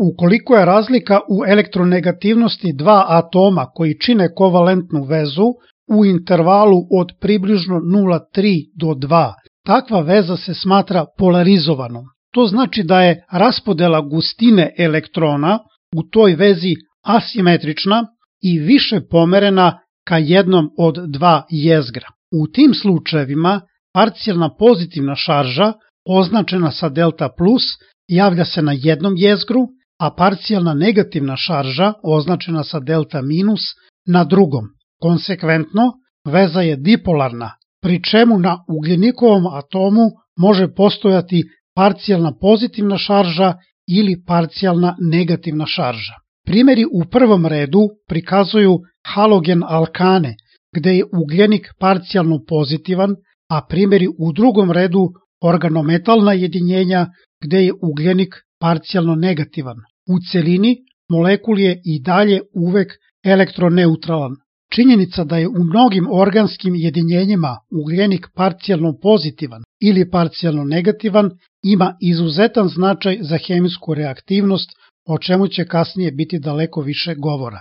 Ukoliko je razlika u elektronegativnosti dva atoma koji čine kovalentnu vezu u intervalu od približno 0,3 do 2, takva veza se smatra polarizovanom. To znači da je raspodela gustine elektrona u toj vezi asimetrična i više pomerena ka jednom od dva jezgra. U tim slučajevima parcijalna pozitivna šarža, označena sa delta plus, javlja se na jednom jezgru, a parcijalna negativna šarža, označena sa delta minus, na drugom. Konsekventno, veza je dipolarna, pri čemu na ugljenikovom atomu može postojati parcijalna pozitivna šarža ili parcijalna negativna šarža. Primeri u prvom redu prikazuju halogen alkane, gde je ugljenik parcijalno pozitivan, a primeri u drugom redu organometalna jedinjenja, gde je ugljenik parcijalno negativan. U celini, molekul je i dalje uvek elektroneutralan. Činjenica da je u mnogim organskim jedinjenjima ugljenik parcijalno pozitivan ili parcijalno negativan ima izuzetan značaj za hemijsku reaktivnost, o čemu će kasnije biti daleko više govora.